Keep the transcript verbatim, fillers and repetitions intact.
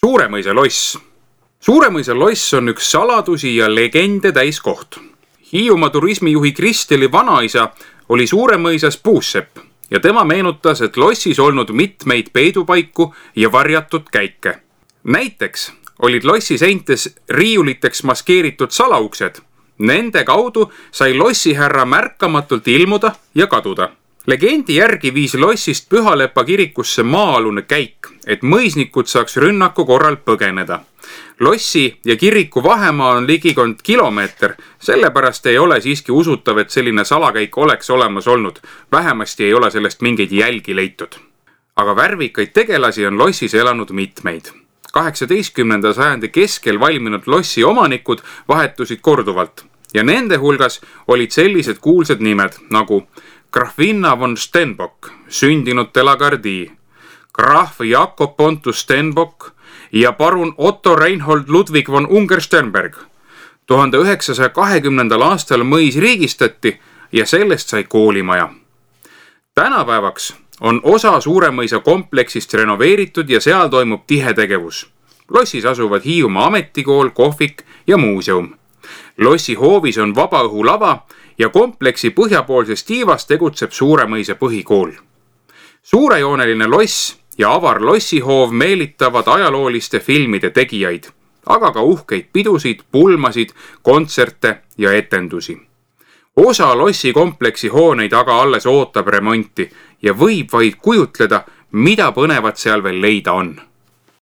Suuremõisa loss. Suuremõisa loss on üks saladusi ja legende täis koht. Hiiumaa turismijuhi Kristeli vanaisa oli Suuremõisas puussepp ja tema meenutas, et lossis olnud mitmeid peidupaiku ja varjatud käike. Näiteks olid lossi seintes riiuliteks maskeeritud salauksed. Nende kaudu sai lossihärra märkamatult ilmuda ja kaduda. Legendi järgi viis lossist Pühalepa kirikusse maa-alune käik, et mõisnikud saaks rünnaku korral põgeneda. Lossi ja kiriku vahemaa on ligikond kilomeeter, sellepärast ei ole siiski usutav, et selline salakäik oleks olemas olnud. Vähemasti ei ole sellest mingeid jälgi leitud. Aga värvikaid tegelasi on lossis elanud mitmeid. kaheksateistkümnenda sajandi keskel valminud lossi omanikud vahetusid korduvalt ja nende hulgas olid sellised kuulsad nimed nagu Grafina von Stenbock, sündinud Delagardi, Graf Jakob Pontus Stenbock ja parun Otto Reinhold Ludwig von Ungersternberg. tuhande üheksasaja kahekümnendal aastal mõis riigistati ja sellest sai koolimaja. Tänapäevaks on osa Suuremõisa kompleksist renoveeritud ja seal toimub tihe tegevus. Lossis asuvad Hiiumaa ametikool, kohvik ja muuseum. Lossi hoovis on vabaõhulava ja kompleksi põhjapoolses tiivas tegutseb Suuremõisa põhikool. Suurejooneline loss ja avar lossihoov meelitavad ajalooliste filmide tegijaid, aga ka uhkeid pidusid, pulmasid, kontserte ja etendusi. Osa lossi kompleksi hooneid aga alles ootab remonti ja võib vaid kujutleda, mida põnevat seal veel leida on.